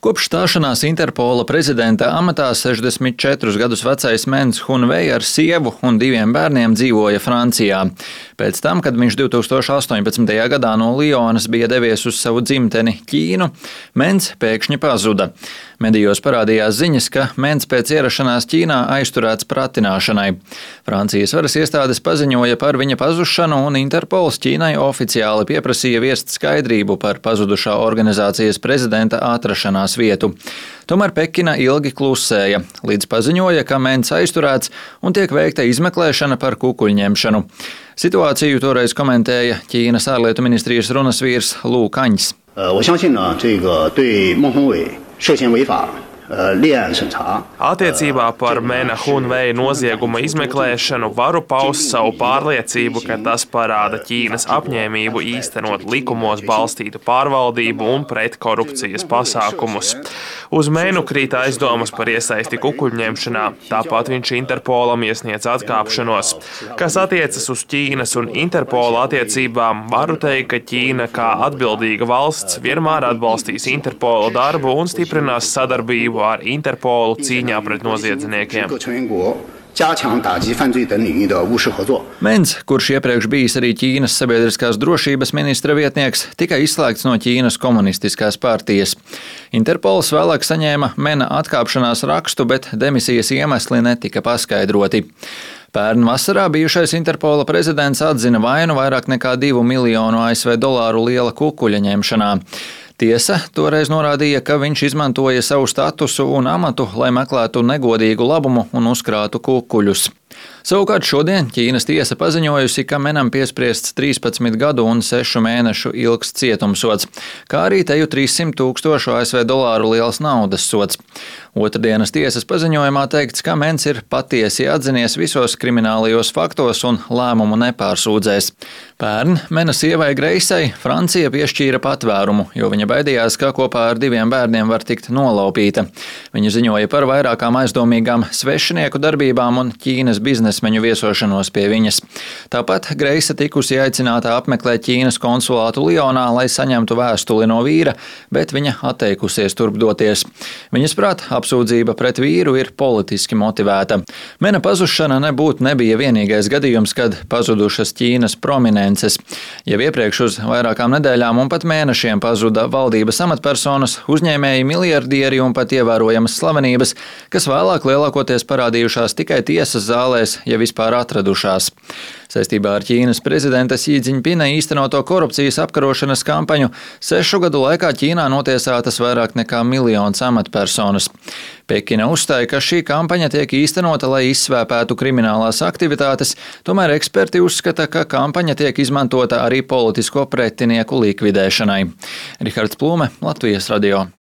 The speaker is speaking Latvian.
Kopš stāšanās Interpola prezidenta amatā 64 gadus vecais Mens Hunvei ar sievu un 2 bērniem dzīvoja Francijā. Pēc tam, kad viņš 2018. gadā no Lionas bija devies uz savu dzimteni Ķīnu, Mens pēkšņi pazuda. Medijos parādījās ziņas, ka Mens pēc ierašanās Ķīnā aizturēts pratināšanai. Francijas varas iestādes paziņoja par viņa pazušanu, un Interpols Ķīnai oficiāli pieprasīja viest skaidrību par pazudušā organizācijas prezidenta atrašanās vietu. Tomēr Pekina ilgi klusēja, līdz paziņoja, ka Mens aizturēts un tiek veikta izmeklēšana par kukuļņemšanu. Situāciju toreiz komentēja Ķīnas ārlietu ministrijas runas vīrs Lū Kaņs. Attiecībā par Mena Hunvei nozieguma izmeklēšanu varu paust savu pārliecību, ka tas parāda Ķīnas apņēmību īstenot likumos balstītu pārvaldību un pretkorupcijas pasākumus. Uz Menu krīt aizdomas par iesaisti kukuļņemšanā, tāpat viņš Interpolam iesniedz atkāpšanos. Kas attiecas uz Ķīnas un Interpola attiecībām, varu teikt, ka Ķīna kā atbildīga valsts vienmēr atbalstīs Interpola darbu un stiprinās sadarbību ar Interpolu cīņā pret noziedzniekiem. Mens, kurš iepriekš bijis arī Ķīnas sabiedriskās drošības ministra vietnieks, tika izslēgts no Ķīnas komunistiskās partijas. Interpols vēlāk saņēma Mena atkāpšanās rakstu, bet demisijas iemesli netika paskaidroti. Pērn vasarā bijušais Interpola prezidents atzina vainu vairāk nekā 2 miljonu ASV dolāru liela kukuļa ņemšanā. Tiesa toreiz norādīja, ka viņš izmantoja savu statusu un amatu, lai meklētu negodīgu labumu un uzkrātu kukuļus. Savukārt šodien Ķīnas tiesa paziņojusi, ka Menam piespriests 13 gadu un 6 mēnešu ilgs cietumsods, kā arī teju 300 000 ASV dolāru liels naudas sods. Otrdienas tiesas paziņojumā teikts, ka Mens ir patiesi atzinies visos kriminālajos faktos un lēmumu nepārsūdzēs. Pērn Mena sievai Greisai Francija piešķīra patvērumu, jo viņa baidījās, ka kopā ar 2 bērniem var tikt nolaupīta. Viņa ziņoja par vairākām aizdomīgām svešinieku darbībām un Ķīnas biznesmeņu viesošanos pie viņas. Tāpat Greisa tikusi aicināta apmeklēt Ķīnas konsulātu Lionā, lai saņemtu vēstuli no vīra, bet viņa atteikusies turp doties. Viņas prāt, apsūdzība pret vīru ir politiski motivēta. Mena pazušana nebija vienīgais gadījums, kad pazudušas Ķīnas prominences. Jau iepriekš uz vairākām nedēļām un pat mēnešiem pazuda valdības amatpersonas, uzņēmēji, miljardieri un pat ievērojamas slavenības, kas vēlāk lielākoties parādījušās tikai tiesas zālēs, ja vispār atradušās. Saistībā ar Ķīnas prezidenta Xi Jinpinga īstenoto korupcijas apkarošanas kampaņu 6 gadu laikā Ķīnā notiesātas vairāk nekā 1 miljons amatpersonas. Pekina uzstāja, ka šī kampaņa tiek īstenota, lai izsvēpētu kriminālās aktivitātes, tomēr eksperti uzskata, ka kampaņa tiek izmantota arī politisko pretinieku likvidēšanai. Rihards Plūme, Latvijas radio.